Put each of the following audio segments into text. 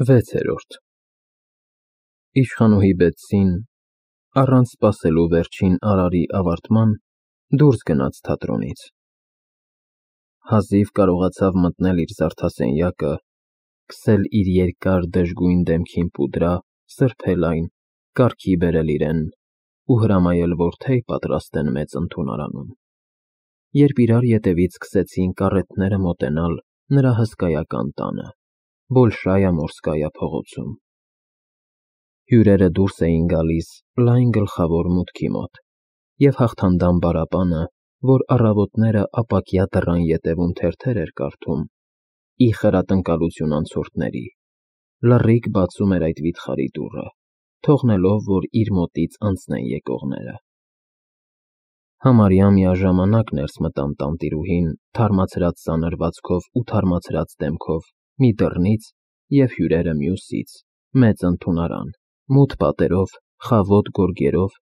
6-րդ Իշխանուհի Բեթսին, առանց սպասելու վերջին արարի ավարտման, դուրս գնաց թատրոնից. հազիվ կարողացավ մտնել իր զարդասենյակը, քսել իր երկար դժգույն դեմքին պուդրա, սրբել այն, կարգի բերել իրեն ու հրամայել, որ թեյ պատրաստեն մեծ ընդունարանում, երբ իրար ետևից սկսեցին կառեթները մոտենալ նրա հսկայական տանը, Բոլշայա Մորսկայա փողոցում։ Հյուրերը դուրս էին գալիս լայն գլխավոր մուտքի մոտ, և հաղթանդամ բառապանը, որ առավոտները ապակյա դռան ետևում թերթեր էր կարդում, ի խրատնկալություն անցորդների, լռիկ բացում էր այդ վիթխարի դուռը, թողնելով, որ իր մոտից անցնեն եկողները։ Համարյա միաժամանակ ներս մտան տանտիրուհին թարմացրած սանրվածքով ու թարմացրած դեմքով մի դռնից և հյուրերը մյուսից, մեծ ընդունարան, մութ պատերով, խավոտ գորգերով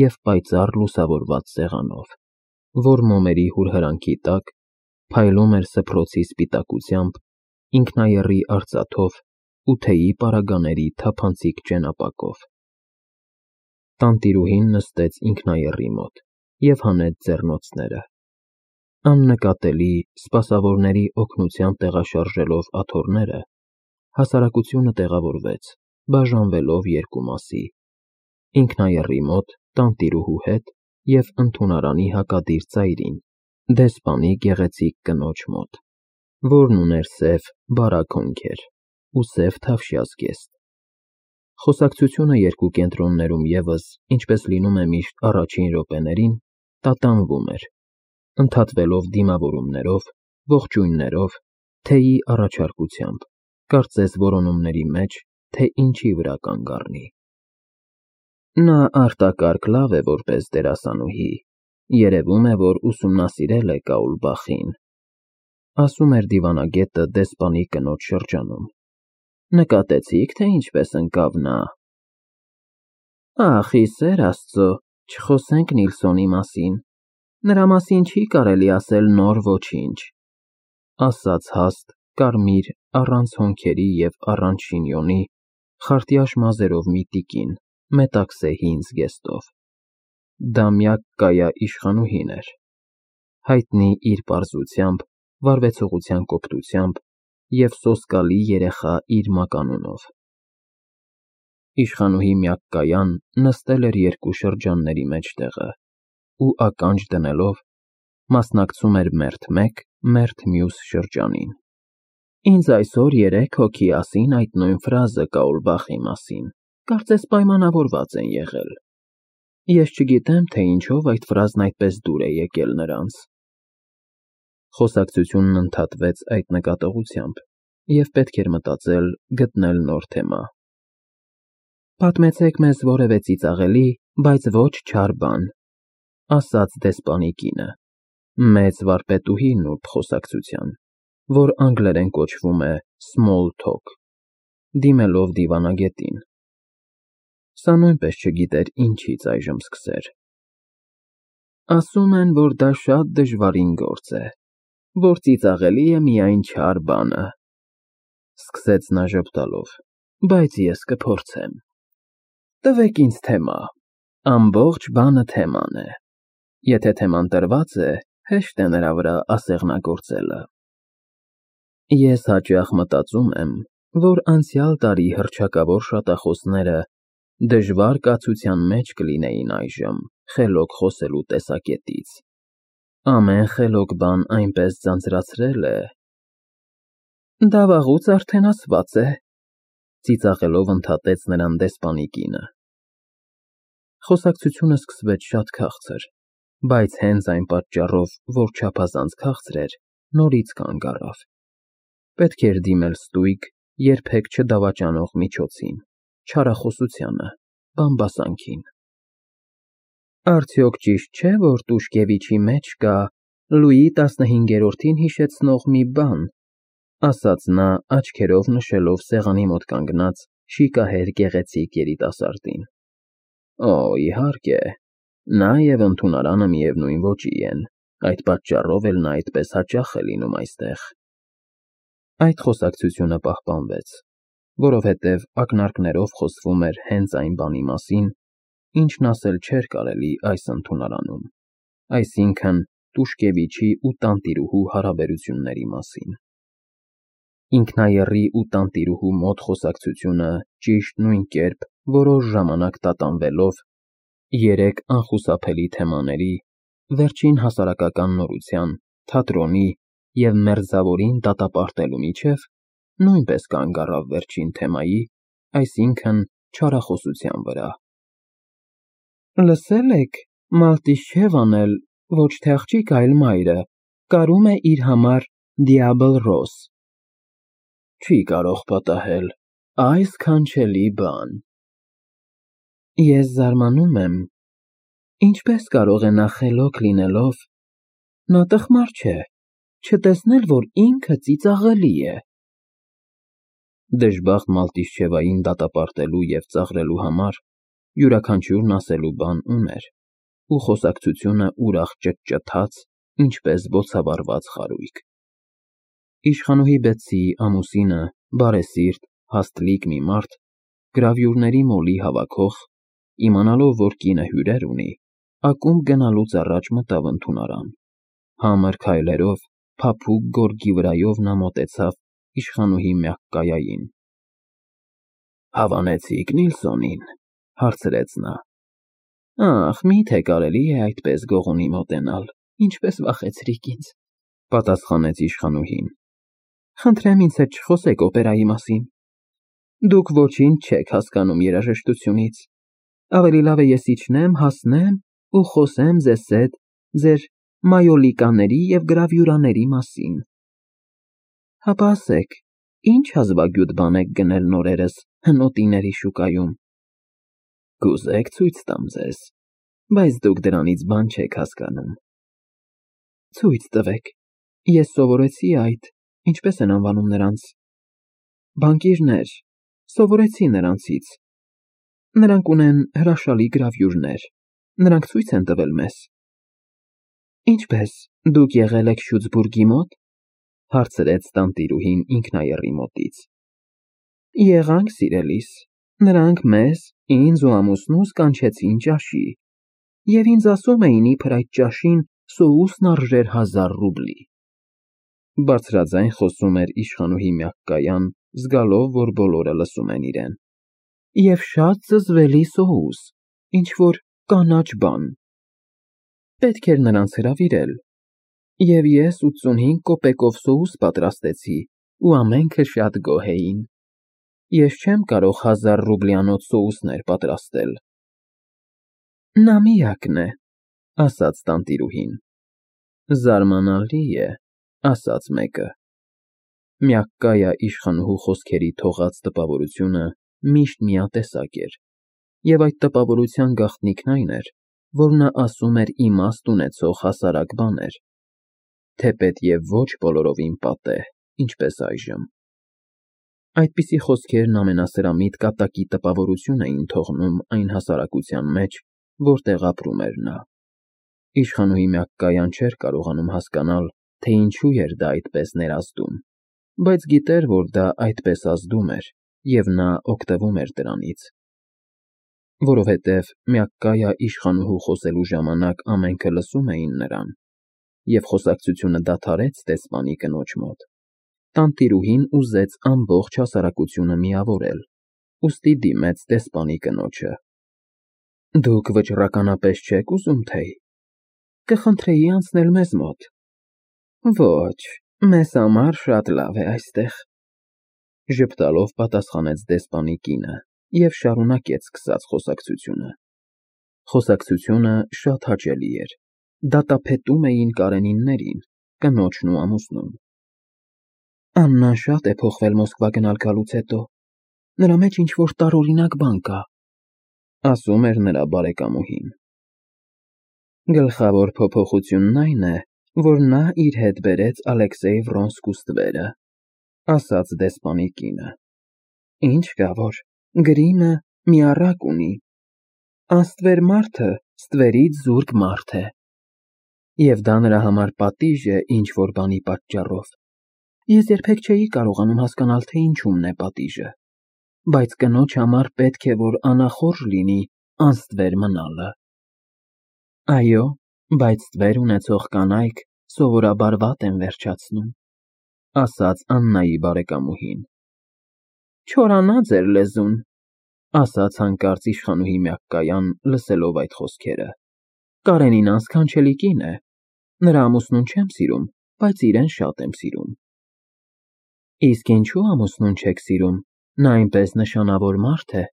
և պայծառ լուսավորված սեղանով, որ մոմերի հուրհրանքի տակ փայլում էր սփռոցի սպիտակությամբ, ինքնաեռի արծաթով ու թեյի պարագաների թափանցիկ ճենապակով։ Տանտիրուհին նստեց ինքնաեռի մոտ և հանեց ձեռնոցները, աննկատելի, սպասավորների օգնությամբ տեղաշարժելով աթոռները, հասարակությունը տեղավորվեց, բաժանվելով երկու մասի, ինքնաեռի մոտ տանտիրուհու հետ և ընդունարանի հակադիր ծայրին, դեսպանի գեղեցիկ կնոջ մոտ, որն ուներ սև բարակ հոնքեր ու սև թավշյա զգեստ։ Խոսակցությունը երկու կենտրոններում ևս, ինչպես լինում է միշտ առաջին րոպեներին, տատանվում էր, ընդհատվելով դիմավորումներով, ողջույններով, թեյի առաջարկությամբ, կարծես որոնումների մեջ, թե ինչի վրա կանգ առնի։ Նա արտակարգ լավ է որպես դերասանուհի, երևում է, որ ուսումնասիրել է Կաուլբախին, ասում էր դիվանագետը դեսպանի կնոջ շրջանում։ Նկատեցի՞ք, թե ինչպես ընկավ նա։ Ախ, ի սեր Աստծո, չխոսենք Նիլսոնի մասին, նրա մասին չի կարելի ասել նոր ոչինչ, ասաց հաստ, կարմիր, առանց հոնքերի և առանց շինյոնի, խարտյաշ մազերով մի տիկին, մետաքսե հին զգեստով։ Դա Մյակկայա իշխանուհին էր, հայտնի իր պարզությամբ, վարվեցողության կոպտությամբ և սոսկալի երեխա իր մականունով։ Իշխանուհի Մյակկայան նստել էր երկու շրջանների մեջտեղը ու ականջ դնելով, մասնակցում էր մերթ մեկ, մերթ մյուս շրջանին։ Ինձ այսօր 3 հոգի ասին այդ նույն ֆրազը Կաուլբախի մասին, կարծես պայմանավորված են եղել։ Ես չգիտեմ, թե ինչով այդ ֆրազն այդպես դուր է եկել նրանց։ Խոսակցությունն ընդհատվեց այդ նկատողությամբ, և պետք էր մտածել, գտնել նոր թեմա։ Պատմեցեք մեզ որևէ ծիծաղելի, բայց ոչ չար բան, ասաց դեսպանի կինը, մեծ վարպետուհի նուրբ խոսակցության, որ անգլերեն կոչվում է small talk, դիմելով դիվանագետին։ Սա նույնպես չգիտեր ինչից այժմ սկսեր։ Ասում են, որ դա շատ դժվարին գործ է, որ ծիծաղելի է միայն չար բանը, սկսեց նա ժպտալով, բայց ես կփորձեմ։ Տվեք ինձ թեմա, ամբողջ բանը թեման է, եթե թեման տրված է, հեշտ է նրա վրա ասեղնագործելը։ Ես հաճախ մտածում եմ, որ անցյալ տարի հռչակավոր շատախոսները դժվար կացության մեջ կլինեին այժմ, խելոք խոսելու տեսակետից։ Ամեն խելոք բան այնպես ձանձրացրել է… Դա վաղուց արդեն ասված է, ծիծաղելով ընդհատեց նրան դեսպանի կինը։ Խոսակցությունը սկսվեց շատ քաղցր, բայց հենց այն պատճառով, որ չափազանց քաղցր էր, նորից կանգ առավ։ Պետք էր դիմել ստույգ, երբեք չդավաճանող միջոցին, չարախոսությանը, բամբասանքին։ Արդյոք ճիշտ չէ, որ Տուշկևիչի մեջ կա Լուի 15-րդին հիշեցնող մի բան, ասաց նա, աչքերով նշելով սեղանի մոտ կանգնած շիկահեր գեղեցիկ երիտասարդին։ Օ, իհարկե, նա և ընդունարանը միևնույն ոճի են, այդ պատճառով էլ նա այդպես հաճախ է լինում այստեղ։ Այդ խոսակցությունը պահպանվեց, որովհետև ակնարկներով խոսվում էր հենց այն բանի մասին, ինչն ասել չէր կարելի այս ընդունարանում, այսինքն Տուշկևիչի ու տանտիրուհու հարաբերությունների մասին։ Ինքնայեռի ու տանտիրուհու մոտ խոսակցությունը ճիշտ նույն կերպ որոշ ժամանակ տատանվելով երեք անխուսափելի թեմաների՝ վերջին հասարակական նորության, թատրոնի և Մերձավորին դատապարտելու միջև, նույնպես կանգ առավ վերջին թեմայի, այսինքն չարախոսության վրա։ Լսել եք, Մալտիշևան էլ, ոչ թե աղջիկ, այլ մայրը, կարում է իր համար Դիաբլ Ռոս։ Չի կարող պատահել, այս քանչելի բան։ Ես զարմանում եմ, ինչպես կարող է նա խելոք լինելով, նա տխմար չէ, չտեսնել, որ ինքը ծիծաղելի է։ Դժբախտ Մալտիշևային դատապարտելու և ծաղրելու համար յուրաքանչյուրն ասելու բան ուներ, ու խոսակցությունը ուրախ ճտճթաց, ինչպես բոցավառված խարույկ։ Իշխանուհի Բեթսիի ամուսինը, բարեսիրտ, հաստլիկ մի մարդ, գրավյուրների մոլի հավաքող, իմանալով, որ կինը հյուրեր ունի, ակումբ գնալուց առաջ մտավ ընդունարան։ Համր քայլերով, փափուկ գորգի վրայով նա մոտեցավ իշխանուհի Մյակկայային։ Հավանեցի՞ք Նիլսոնին, հարցրեց նա։ Ախ, միթե կարելի է այդպես գողունի մոտենալ, ինչպես վախեցրիք ինձ, պատասխանեց իշխանուհին։ Խնդրեմ ինձ հետ չխոսեք օպերայի մասին։ Դուք ոչինչ չեք հասկանում երաժշտությունից։ Ավելի լավ է ես իջնեմ, հասնեմ ու խոսեմ ձեզ հետ ձեր մայոլիկաների և գրավյուրաների մասին։ Հապա ասեք, ինչ հազվագյուտ բան եք գնել նորերս հնոտիների շուկայում։ Կուզեք ցույց տամ ձեզ, բայց դուք դրանից բան չեք հասկանում։ Ցույց տվեք, ես սովորեցի այդ, ինչպես են անվանում նրանց, բանկիրներ, սովորեցի նրանցից։ Նրանք ունեն հրաշալի գրավյուրներ, նրանք ցույց են տվել մեզ։ Ինչպես, դուք եղել եք Շյուցբուրգի մոտ, հարցրեց տանտիրուհին ինքնայեռի մոտից։ Եղանք, սիրելիս, նրանք մեզ, ինձ ու ամուսնուս կանչեցին ճաշի, և ինձ ասում էին, իբր այդ ճաշին սոուսն արժեր 1000 ռուբլի։ Բարձրաձայն խոսում էր իշխանուհի Մյակկայան, զգալով, որ բոլորը լսում են իրեն։ Եվ շատ զզվելի սոուս, ինչ-որ կանաչ բան։ Պետք էր նրանց հրավիրել, և ես 85 կոպեկով սոուս պատրաստեցի, ու ամենքը շատ գոհ էին։ Ես չեմ կարող 1000 ռուբլյանոց սոուսներ պատրաստել։ Նա միակն է, ասաց տանտիրուհին։ Զարմանալի է, ասաց մեկը։ Մյակկայա իշխանուհու խոսքերի թողած տպավորությունը միշտ միատեսակ էր, և այդ տպավորության գաղտնիքն այն էր, որ նա ասում էր իմաստ ունեցող հասարակ բաներ, թեպետև ոչ բոլորովին պատեհ, ինչպես այժմ։ Այդպիսի խոսքերն ամենասրամիտ կատակի տպավորություն էին թողնում այն հասարակության մեջ, որտեղ ապրում էր նա։ Իշխանուհի Մյակկայան չէր կարողանում հասկանալ, թե ինչու էր դա այդպես ներազդում, բայց գիտեր, որ դա այդպես ազդում էր, և նա օգտվում էր դրանից։ Որովհետև Մյակկայա իշխանուհու խոսելու ժամանակ ամենքը լսում էին նրան, և խոսակցությունը դադարեց դեսպանի կնոջ մոտ, տանտիրուհին ուզեց ամբողջ հասարակությունը միավորել, ուստի դիմեց դեսպանի կնոջը։ Դուք վճռականապես չեք ուզում թեյ։ Կխնդրեի անցնել մեզ մոտ։ Ոչ, մեզ համար շատ լավ է այստեղ, ժպտալով պատասխանեց դեսպանի կինը և շարունակեց սկսած խոսակցությունը։ Խոսակցությունը շատ հաճելի էր, դատապետում էին կարենիններին, կնոջն ու ամուսնուն։ Աննան շատ է փոխվել Մոսկվա գնալ գալուց հետո, նրա մեջ ինչ-որ տարօրինակ բան կա, ասում էր նրա բարեկամուհին։ Գլխավոր փոփոխությունն այն է, որ նա իր հետ բերեց Ալեքսեյ Վրոնսկու ստվերը, ասաց դեսպանի կինը։ Ինչ կա որ, գրիմը մի առակ ունի։ Անստվեր մարդը ստվերից զուրկ մարդ է։ Եվ դա նրա համար պատիժ է ինչ-որ բանի պատճառով։ Ես երբեք չէի կարողանում հասկանալ, թե ինչումն է պատիժը։ բայց կնոջ համար պետք է, որ անախորժ լինի անստվեր մնալը։ Այո, բայց ստվեր ունեցող կանայք սովորաբար վատ են վերջացնում, ասաց Աննայի բարեկամուհին։ Չորանա ձեր լեզուն, ասաց հանկարծ իշխանուհի Մյակկայան, լսելով այդ խոսքերը։ Կարենին անսքանչելի կին է, նրա ամուսնուն չեմ սիրում, բայց իրեն շատ եմ սիրում։ Իսկ ինչու ամուսնուն չեք սիրում, նա այնպես նշանավոր մարդ է,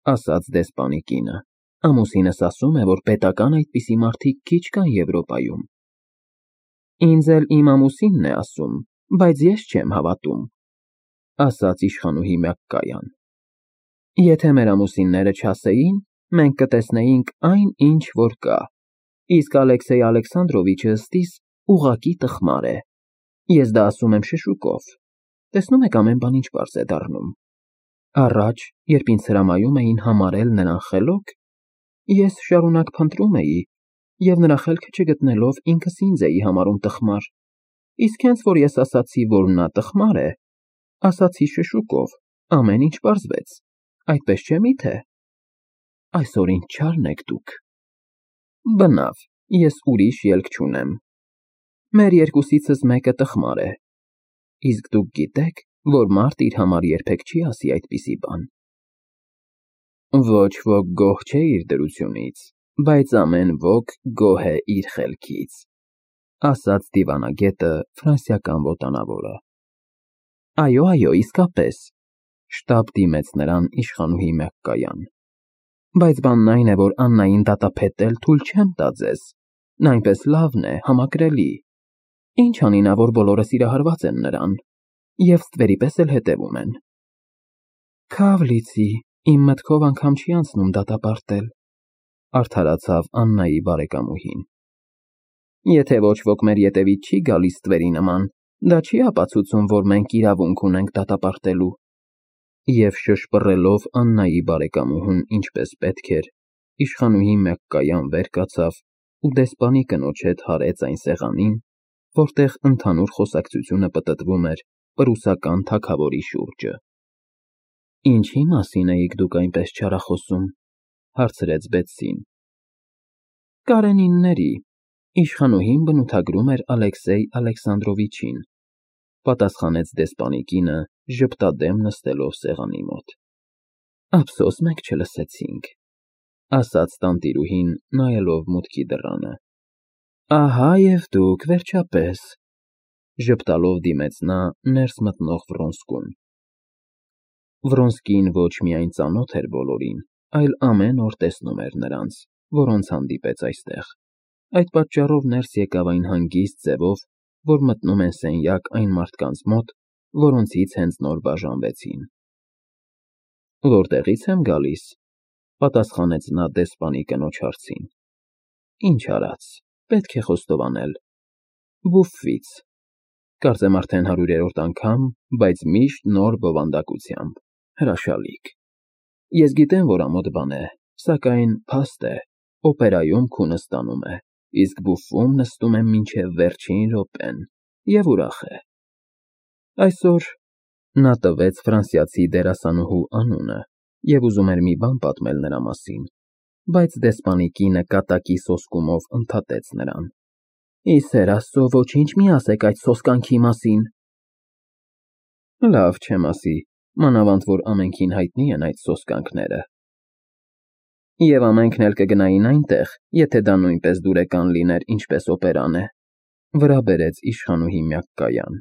ասաց դեսպանի կինը։ Ամուսինս ասում է, որ պետական այդպիսի մարդիկ քիչ կան Եվրոպայում։ Ինձ էլ իմ ամուսինն է ասում, բայց ես չեմ հավատում, ասաց իշխանուհի Մյակկայան։ Եթե մեր ամուսինները չասեին, մենք կտեսնեինք այն, ինչ որ կա, իսկ Ալեքսեյ Ալեքսանդրովիչը ստիս ուղղակի տխմար է։ Ես դա ասում եմ շշուկով։ Տեսնում եք ամեն բան ինչ պարզ է դառնում։ Առաջ, երբ ինձ հրամայում էին համարել նրան խելոք, ես շարունակ փնտրում էի և նրա խելքը չգտնելով ինքս ինձ էի համարում տխմար, իսկ հենց որ ես ասացի, որ նա տխմար է, ասացի շշուկով, ամեն ինչ պարզվեց, այդպես չէ միթե։ Այսօր ինչ չարն եք դուք։ Բնավ, ես ուրիշ ելք չունեմ։ Մեր երկուսիցս մեկը տխմար է, իսկ դուք գիտեք, որ մարդ իր համար երբեք չի ասի այդպիսի բան։ Ոչ ոք գոհ չէ իր դրությունից, բայց ամեն ոք գոհ է իր խելքից, ասաց դիվանագետը ֆրանսիական ոտանավորը։ Այո, իսկապես, շտապ դիմեց նրան իշխանուհի Մյակկայան։ Բայց բանն այն է, որ Աննային դատապետել թույլ չեմ տա ձեզ, նա այնպես լավն է, համակրելի։ Ինչ անի նա, որ բոլորը սիրահարված են նրան, և ստվերի պես էլ հետևում են։ Քավ լիցի, իմ մտքով անգամ չի անցնում դատապարտել, արդարացավ Աննայի բարեկամուհին։ Եթե ոչ ոք մեր ետևից չի գալիս ստվերի նման, դա չի ապացուցում, որ մենք իրավունք ունենք դատապարտելու։ Եվ շշպռելով Աննայի բարեկամուհուն ինչպես պետք էր, իշխանուհի Մյակկայան վեր կացավ ու դեսպանի կնոջ հետ հարեց այն սեղանին, որտեղ ընդհանուր խոսակցությունը պտտվում էր պրուսական թագավորի շուրջը։ Ինչի մասին էիք դուք այնպես չարախոսում, հարցրեց Բեցսին։ Կարենինների, իշխանուհին բնութագրում էր Ալեքսեյ Ալեքսանդրովիչին, պատասխանեց դեսպանի կինը, ժպտադեմ նստելով սեղանի մոտ։ Ափսոս մենք չլսեցինք, ասաց տանտիրուհին, նայելով մուտքի դռանը։ Ահա և դուք, վերջապես, ժպտալով դիմեց նա ներս մտնող Վրոնսկուն։ Վրոնսկին ոչ միայն ծանոթ էր բոլորին, այլ ամեն օր տեսնում էր նրանց, որոնց հանդիպեց այստեղ։ Այդ պատճառով ներս եկավ այն հանգիստ ձևով, որ մտնում են սենյակ այն մարդկանց մոտ, որոնցից հենց նոր բաժանվեցին։ Որտեղից եմ գալիս, պատասխանեց նա դեսպանի կնոջ հարցին։ Ինչ արած, պետք է խոստովանել։ Բուֆվից։ Կարծեմ արդեն 100-րդ անգամ, բայց միշտ նոր բովանդակությամբ, հրաշալիք։ Ես գիտեմ, որ ամոթ բան է, սակայն փաստ է, օպերայում քունը ստանում է, իսկ բուֆում նստում եմ մինչև վերջին րոպեն և ուրախ է։ Այսօր նա տվեց ֆրանսիացի դերասանուհու անունը և ուզում էր մի բան պատմել նրա մասին, բայց դեսպանի կինը կատակի սոսկումով ընդհատեց նրան։ Ի սեր Աստծո, ոչինչ մի ասեք այդ սոսկանքի մասին։ Լավ չեմ ասի, մանավանդ որ ամենքին հայտնի են այդ սոսկանքները։ Եվ ամենքն էլ կգնային այնտեղ, եթե դա նույնպես դուրեկան լիներ, ինչպես օպերան է, վրա բերեց իշխանուհի Մյակկայան։